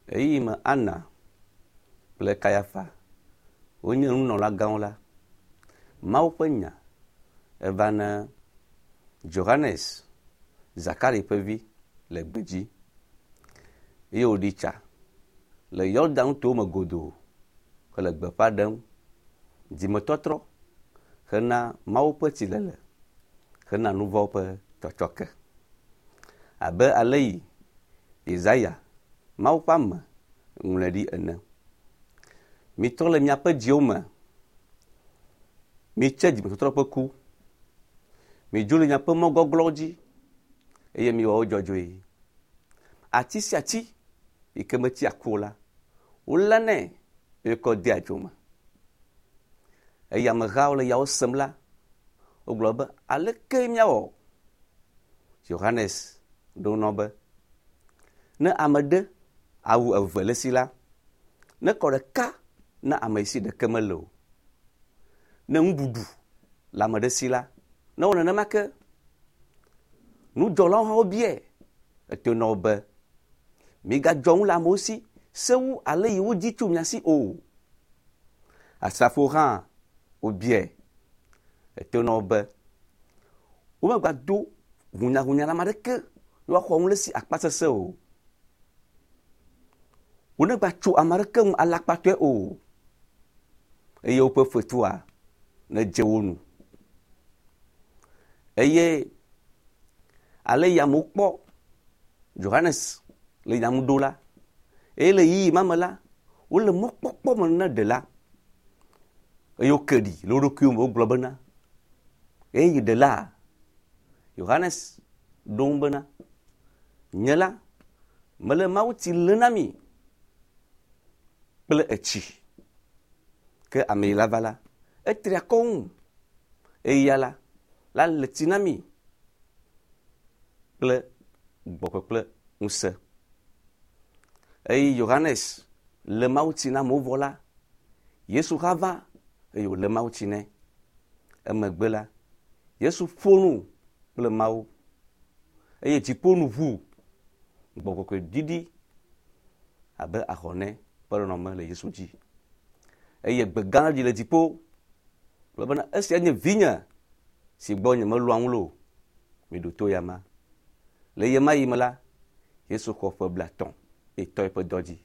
Ɣeyiɣi me Ana kple Kayafa wonye nunɔlagãwo la, Mawu ƒe nya eva na Johannes, Zakari ƒe vi le gbedzi eye wòɖi tsa le Yordan nutowo me godoo hele gbeƒã ɖem dzimetɔtrɔ hena Mawu ƒe tsilele hena nu vɔ̃wo ƒe tsɔtsɔke. Abe ale yi Yesaya, Mawu ƒe ame, ŋlɔe ɖi ene. Mitrɔ le miaƒe dziwo me, mitse dzimetɔtrɔ ƒe ku, midzo le miaƒe mɔ gɔglɔ̃wo dzi, eye miwɔ wo dzɔdzɔe. Ati sia ati yi ke metsia ku o la, wolénɛ eye kɔ dea dzo me. Eye amehawo le yawo sem la, wogblɔ be, aleke míawɔ? Yohanes ɖo nɔ be, ne ame ɖe awu eve le esi la, nekɔ ɖeka na ame si ɖeke mele o. Ne nuɖuɖu le ame ɖe si la, newɔ nenema ke. Nudzɔlawo hã wobiae eto na wo be, migadzɔ nu le amewo si sewu ale yi wodi tso mia si o. Asrafowo hã wobiae eto na wo be, womegbado hunyahunya le ame aɖeke woaxɔ nu le esi akpasese o. Wonegbatso ame aɖeke ŋu alakpatɔe o eye woƒe fetua nedze wo nu. Eye ale yi amewo kpɔ Johannes le nya ŋu ɖo la, eye le ɣeyiɣi ma me la, wole mɔkpɔkpɔ me na ɖela eye woke ɖi le wo ɖokuiwo me wogblɔ bena, eye ɖela Yohanes ɖo ŋu bena, nye la, mele mawutsi lé na mi kple etsi. Ke ame yi la va la, etri akɔ ŋu eye ya la, la le tsi na mi kple gbɔgbɔ kple ŋusẽ. Eye Yohanes le mawutsi na amewo vɔ la, Yesu hã va eye wòle mawutsi nɛ. Emegbe la, Yesu ƒo nu kple Mawu eye dziƒo nu ʋu. Gbɔgbɔ kɔkɔe ɖiɖi abe ahɔnɛ ƒe nɔnɔme le Yesu dzi. Eye gbe gã ɖi le dziƒo gblɔ bena esia nye vinye si gbɔ nyemelɔ̃a ŋu le o. Miɖo to ya ma. Le ɣemaɣi me la, Yesu xɔ ƒe 30 eye tɔ eƒe dɔ dzi.